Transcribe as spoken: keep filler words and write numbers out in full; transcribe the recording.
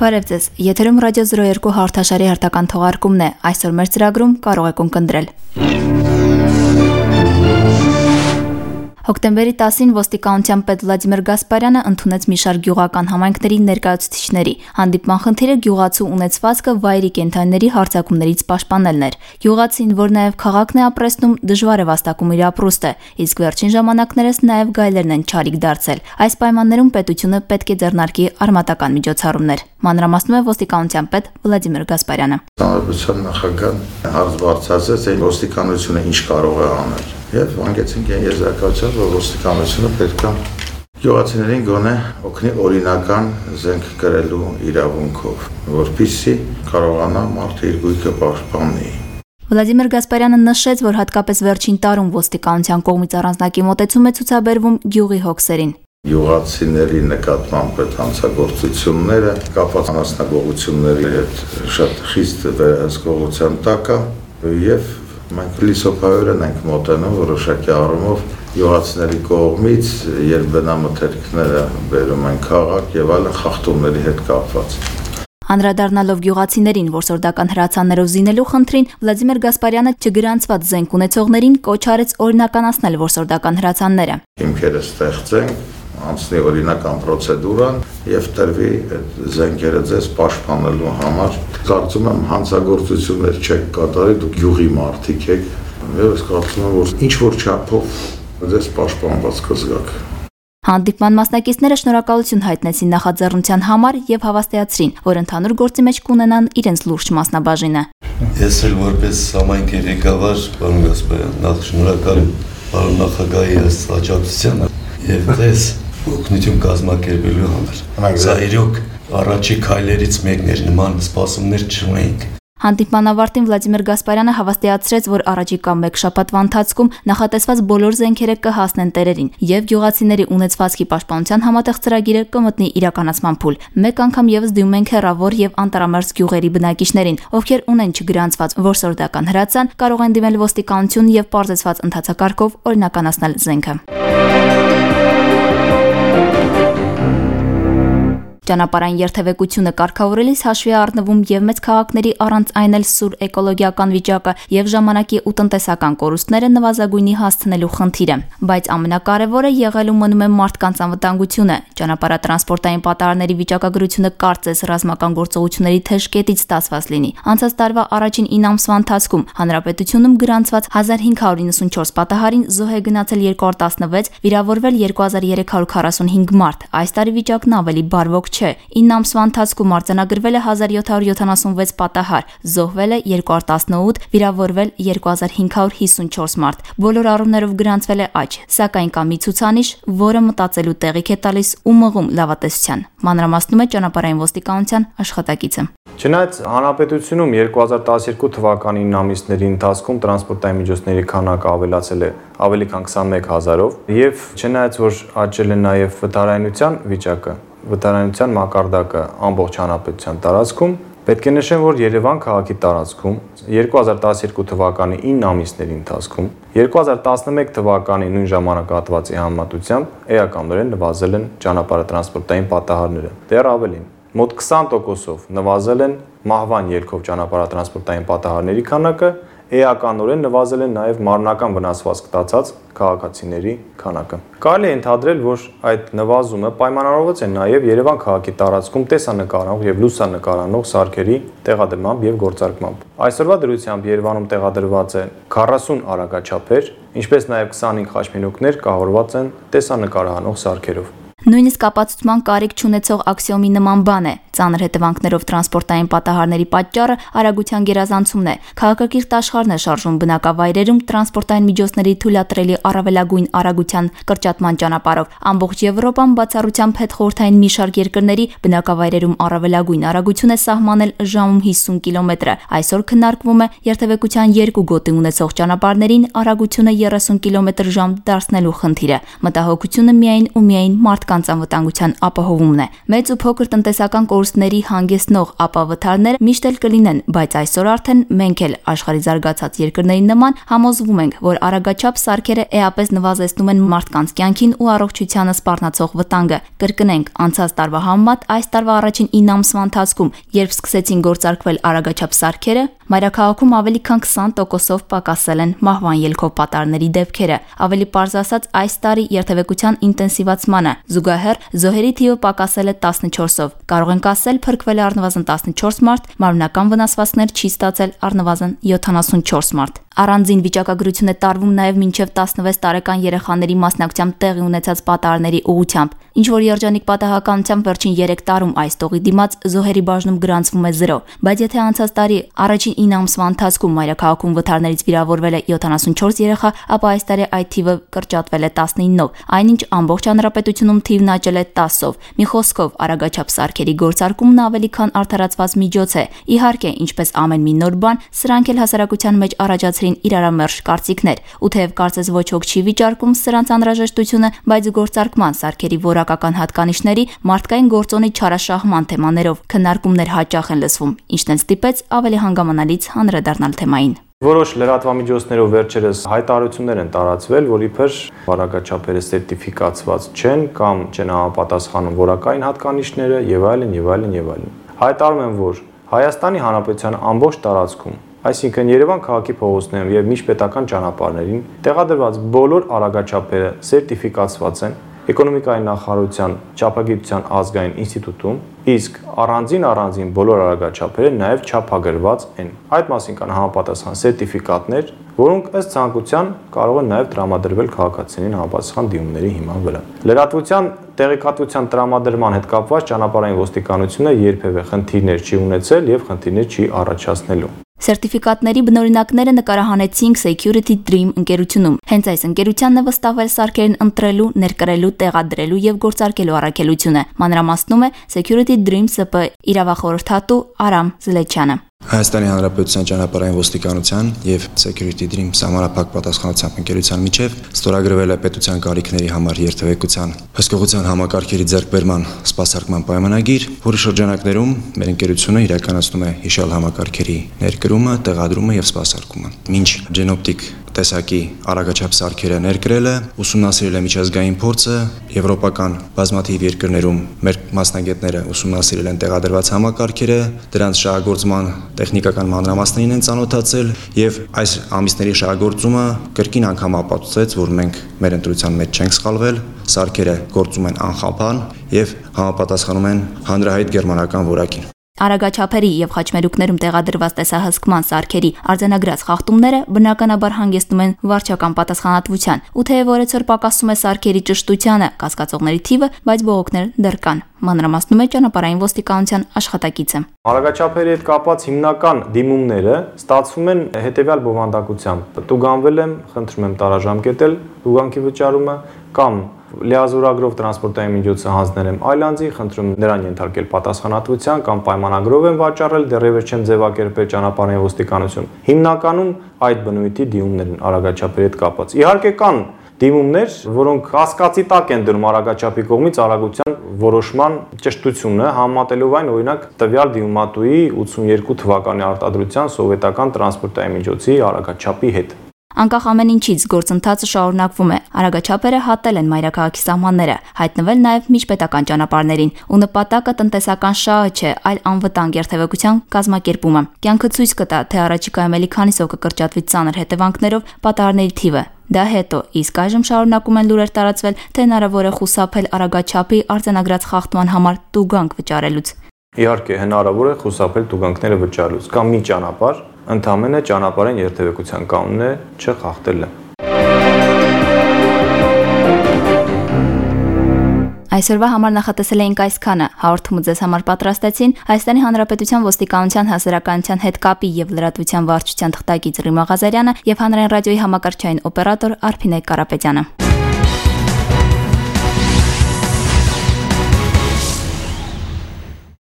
Բարև ձեզ, եթերում ռադիո զրո երկու հաղորդաշարի հերթական թողարկումն է, այսօր մեր ծրագրում կարող եք ունկնդրել։ Հոկտեմբերի տասին ոստիկանության պետ Վլադիմիր Գասպարյանը ընդունեց մի շարք գյուղական համայնքների ներկայացուցիչների։ Հանդիպման խնդիրը գյուղացու ունեցվածքը վայրի կենդանիների հարձակումներից պաշտպանելն էր։ Գյուղացին, որ նաև քաղաքն է ապրեցնում, դժվար է վաստակում իր ապրուստը, իսկ վերջին ժամանակներս նաև գայլերն են չարիք դարձել։ Այս պայմաններում պետությունը պետք է ձեռնարկի արմատական միջոցառումներ։ Մանրամասնում է ոստիկանության պետ Վլադիմիր Գասպարյանը։ Հանրապետության նախագահան հարց բարձրացրեց, թե ոստիկանությունը ինչ կարող է անել։ Եվ հանգեցինք այն եզրակացության, որ ոստիկանությունը պետք է գյուղացիներին գոնե օգնի օրինական զենք կրելու իրավունքով, որպեսզի կարողանա մարդը իր գույքը պաշտպանի։ Վլադիմիր Գասպարյանը նշեց, որ հատկապես վերջին տարում ոստիկանության կողմից առանձնակի մոտեցում է ցուցաբերվում գյուղի հոգսերին։ Գյուղացիների նկատմամբ այդ հանցագործությունները կապված անասնագողությունների հետ շատ խիստ վերահսկողության տակ է եւ մենք լիսոփայորեն ենք մոտենում որոշակի առումով գյուղացիների կողմից, երբ բնամթերքները բերում են քաղաք եւ այլն խախտումների հետ կապված։ Անդրադառնալով գյուղացիներին որսորդական հրացաններով զինելու խնդրին, Վլադիմիր Գասպարյանը չգրանցված զենք ունեցողներին կոչ արեց օրինականացնել որսորդական հրացանները։ Հիմքերը ստեղծենք, անցնի օրինական պրոցեդուրան եւ տրվի այդ զենքերը ձեզ պաշտպանելու համար։ Կարծում եմ հանցագործություններ չեք կատարի, դուք գյուղի մարդիկ եք եւ ես կարծում եմ որ ինչ որ չափով ձեզ պաշտպանված կզգաք։ Հանդիպման մասնակիցները շնորհակալություն հայտնեցին նախաձեռնության համար եւ հավաստիացրին, որ ընդհանուր գործի մեջ կունենան իրենց լուրջ մասնաբաժինը։ Ես էլ որպես համայնքի ղեկավար, պարոն Գասպարյան, նախ շնորհակալ եմ պարոն նախագահի աջակցությանը եւ ձեզ օգնություն կազմակերպելու համար։ Սա իրոք առաջի քայլերից մեկն էր, նման սպասումներ չունեինք։ Հանդիպման ավարտին Վլադիմիր Գասպարյանը հավաստիացրեց, որ առաջիկա մեկ շաբաթվա ընթացքում նախատեսված բոլոր զենքերը կհասնեն տերերին եւ գյուղացիների ունեցվածքի պաշտպանության համատեղ ծրագիրը կմտնի իրականացման փուլ։ Մեկ անգամ եւս դիմում ենք հեռավոր եւ անտարամերձ գյուղերի բնակիչներին, ովքեր ունեն չգրանցված որսորդական հրացան, կարող են դիմել ոստիկանություն եւ պարզեցված ընթացակարգով օրինականացնել զենքը։ Ճանապարհային երթևեկությունը կարգավորելիս հաշվի առնվում եւ մեծ քաղաքների առանց այն էլ սուր էկոլոգիական վիճակը եւ ժամանակի ու տնտեսական կորուստները նվազագույնի հասցնելու խնդիրը, բայց ամենակարևորը եղել ու մնում է մարդկանց անվտանգությունը։ Ճանապարհատրանսպորտային պատահարների վիճակագրությունը կարծես ռազմական գործողությունների թեժ կետից ստացված լինի։ Անցած տարվա առաջին ինը ամսվա ընթացքում հանրապետությունում գրանցված հազար հինգ հարյուր իննսունչորս պատահարին զոհ է գնացել երկու հարյուր տասնվեց, վիրավորվել երկու հազար երեք հարյուր քառասունհինգ մարդ։ Այս տարի վիճակն ավելի բարվոք չէ։ ինը ամսվա ընթացքում արձանագրվել է հազար յոթ հարյուր յոթանասունվեց պատահար, զոհվել է երկու հազար տասնութ, վիրավորվել երկու հազար հինգ հարյուր հիսունչորս մարդ։ Բոլոր առումներով գրանցվել է աճ, սակայն կա մի ցուցանիշ, որը մտածելու տեղիք է տալիս ու մղում լավատեսության։ Մանրամասնում է ճանապարհային ոստիկանության աշխատակիցը։ Չնայած հանրապետությունում երկու հազար տասնյոթ թվականի ինը ամիսների ընթացքում տրանսպորտային միջոցների քանակը ավելացել է ավելի քան քսանմեկ հազարով եւ չնայած որ աճել է նաեւ վթարայնության վիճակը, վթարայնության մակարդակը ամբողջ հանրապետության տարածքում, պետք է նշեմ, որ Երևան քաղաքի տարածքում երկու հազար տասնյոթ թվականի ինը ամիսների ընթացքում երկու հազար տասնմեկ թվականի նույն ժամանակահատվածի համեմատությամբ էականորեն նվազել են ճանապարհատրանսպորտային պատահարները։ Դեռ ավելին, մոտ քսան տոկոսով նվազել են մահվան ելքով ճանապարհատրանսպորտային պատահարների քանակը, էականորեն նվազել են նաև մարմնական վնասվածք ստացած քաղաքացիների քանակը։ Կարելի է ընդհանրել, որ այդ նվազումը պայմանավորված է նաև Երևան քաղաքի տարածքում տեսանկարող եւ լուսանկարանող սարքերի տեղադրմամբ եւ գործարկմամբ։ Այսօրվա դրությամբ Երևանում տեղադրված է քառասուն արագաչափեր, ինչպես նաև քսանհինգ խաչմենուկներ կահորված են տեսանկարահանող սարքերով։ Նույնիսկ ապացուցման կարիք չունեցող աքսիոմի նման բան է։ Ծանր հետևանքներով տրանսպորտային պատահարների պատճառը արագության գերազանցումն է։ Քաղաքակիրթ աշխարհն է շարժում բնակավայրերում տրանսպորտային միջոցների թույլատրելի առավելագույն արագության կրճատման ճանապարհով։ Ամբողջ Եվրոպան բացառությամբ հետխորհրդային մի շարք երկրների բնակավայրերում առավելագույն արագություն է սահմանել ժամում հիսուն կիլոմետրը։ Այսօր քննարկվում է երթևեկության երկու գոտի ունեցող ճանապարհներին արագությունը երեսուն կիլոմետր ժամ դարձնելու խնդիրը։ Մտահոգությունը միայն ու միայն մարդկանց անվտանգության ապահովումն է։ Մեծ ու փոքր տնտեսական կորուստներ կորուստների հանգեցնող ապավթարները միշտ էլ կլինեն, բայց այսօր արդեն մենք էլ աշխարհի զարգացած երկրների նման համոզվում ենք, որ արագաչափ սարքերը էապես նվազեցնում են մարդկանց կյանքին ու առողջությանը սպառնացող վտանգը։ Կրկնենք, անցած տարվա համեմատ այս տարվա առաջին ինը ամսվա ընթացքում, երբ սկսեցին գործարկվել արագաչափ սարքերը, մայրաքաղաքում ավելի քան քսան տոկոսով պակասել են մահվան ելքով պատառների դեպքերը։ Ավելի պարզ ասած, այս տարի երթևեկության ինտենսիվացմանը զուգահեռ զոհերի թիվը պակասել է տասնչորսով։ Կարող ենք ասել, փրկվել է առնվազն տասնչորս մարդ, մարմնական վնասվածքներ չի ստացել առնվազն յոթանասունչորս մարդ։ Առանձին վիճակագրություն է տարվում նաև մինչև տասնվեց տարեկան երեխաների մասնակցությամբ տեղի ունեցած պատահարների ուղղությամբ։ Ինչ որ երջանիկ պատահականությամբ վերջին երեք տարում այս տողի դիմաց զոհերի բաժնում գրանցվում է զրո, բայց եթե անցած տարի առաջին ինը ամսվա ընթացքում մայրաքաղաքում վթարներից վիրավորվել է յոթանասունչորս երեխա, ապա այս տարի այդ թիվը կրճատվել է տասնինով, այնինչ ամբողջ հանրապետությունում թիվն աճել է տասով։ Մի խոսքով, արագաչափ սարքերի գործարկումն ավելի քան արդարացված միջոց է։ Իհարկե, ինչպես ամեն մի նոր բան, սրանք էլ հասարակության մեջ առաջացրին իրարամերժ կարծիքներ, ու թեև կարծես ոչ ոք չի վիճարկում սրանց անհրաժեշտությունը, բայց գործարկման սարքերի որակական հատկանիշների մարդկային գործոնի չարաշահման թեմաներով քննարկումներ հաճախ են լսվում, ինչն են ստիպեց ավելի հանգամանալից անդրադառնալ թեմային։ Որոշ լրատվամիջոցներով վերջերս հայտարարություններ են տարածվել, որ իբր արագաչափերը սերտիֆիկացված չեն կամ չեն համապատասխանում որակային հատկանիշները եւ այլն եւ այլն եւ այլն։ Հայտարարում են, որ Հայաստանի Հանրապետության ամբողջ տարածքում, այսինքն Երևան քաղաքի փողոցներում եւ միջպետական ճանապարհներին տեղադրված բոլոր արագաչափերը սերտիֆիկացված են Էկոնոմիկայի նախարարության Չափագիտության ազգային ինստիտուտում, իսկ առանձին առանձին բոլոր արագաչափերը նաև չափագրված են։ Այդ մասին կան համապատասխան սերտիֆիկատներ, որոնք ըստ ցանկության կարող են նաև տրամադրվել քաղաքացիներին համապատասխան դիմումների հիման վրա։ Լրատվության տեղեկատվության տրամադրման հետ կապված ճանապարհային ոստիկանությունը երբևէ խնդիրներ չի ունեցել եւ խնդիրներ չի առաջացնելու։ Սերտիֆիկատների բնօրինակները նկարահանեցինք Security Dream ընկերությունում։ Հենց այս ընկերությանն է վստահվել սարքերն ընտրելու, ներկրելու, տեղադրելու եւ գործարկելու առաքելությունը։ Մանրամասնում է Security Dream ՍՊ իրավախորհրդատու Արամ Զլեչյանը։ Հայաստանի Հանրապետության ճանապարհային ոստիկանության եւ Security Dream համապարփակ պատասխանատվությամբ ընկերության միջև ստորագրվել է պետության կարիքների համար երթևեկության հսկողության համակարգերի ձեռքբերման սպասարկման պայմանագիր, որի շրջանակներում մեր ընկերությունը իրականացնում է հիշյալ համակարգերի ներկրումը, տեղադրումը եւ սպասարկումը։ Մինչ Genoptic տեսակի արագաչափ սարքերը ներկրելը, ուսումնասիրել է միջազգային փորձը, եվրոպական բազմաթիվ երկրներում մեր մասնագետները ուսումնասիրել են տեղադրված համակարգերը, դրանց շահագործման տեխնիկական մանրամասներին են ծանոթացել եւ այս ամիսների շահագործումը կրկին անգամ ապացուցեց, որ մենք մեր ընտրության մեջ չենք սխալվել, սարքերը գործում են անխափան եւ համապատասխանում են հանրահայտ գերմանական որակին։ Արագաչափերի եւ խաչմերուկներում տեղադրված տեսահսկման սարքերի արձանագրած խախտումները բնականաբար հանգեցնում են վարչական պատասխանատվության, ու թեև օրեցօր պակասում է սարքերի ճշտությանը, կասկածողների թիվը, բայց բողոքներ դեռ կան։ Մանրամասնում է ճանապարհային ոստիկանության աշխատակիցը։ Արագաչափերի հետ կապված հիմնական դիմումները ստացվում են հետեւյալ բովանդակությամբ։ Տուգանվել եմ, խնդրում եմ տարաժամկետել տուգանքի վճարումը կամ լիազորագրով տրանսպորտային միջոցը հանձնել եմ այլ անձի, խնդրում նրան ենթարկել պատասխանատվության կամ պայմանագրով եմ վաճառել, դեռևս չեմ ձևակերպել ճանապարհային ոստիկանություն։ Հիմնականում այդ բնույթի դիմումներ են արագաչափերի հետ կապված։ Իհարկե կան դիմումներ, որոնք կասկածի տակ են դնում արագաչափի կողմից արագության որոշման ճշտությունը, համեմատելով այն օրինակ տվյալ դիմումատուի ութսունյերկու թվականի արտադրության սովետական տրանսպորտային միջոցի արագաչափի հետ։ Անկախ ամեն ինչից գործընթացը շարունակվում է։ Արագաչափերը հատել են մայրաքաղաքի սահմանները, հայտնվել նաև միջպետական ճանապարհներին, ու նպատակը տնտեսական շահը չէ, այլ անվտանգ երթևեկության կազմակերպումը։ Կյանքը ցույց կտա, թե առաջիկայում էլի քանիսով կկրճատվի ծանր հետևանքներով պատահարների թիվը։ Դա հետո, իսկ այժմ շարունակում են լուրեր տարածվել, թե հնարավոր է խուսափել արագաչափի արձանագրած խախտման համար տուգանք վճարելուց։ Իհարկե, հնարավոր է խուսափել տուգանքները վճարելուց կամ մի ճանապարհ, ընդհանրապես ճանապարհային երթևեկության կանոնը չխախտելը։ Այսօրվա համար նախատեսել էինք այսքանը։ Հաղորդումը ձեզ համար պատրաստեցին Հայաստանի Հանրապետության ոստիկանության հասարակայնության հետ կապի եւ լրատվության վարչության թղթակից Ռիմա Ղազարյանը եւ հանրային ռադիոյի համակարգչային օպերատոր Արփինե Կարապետյանը։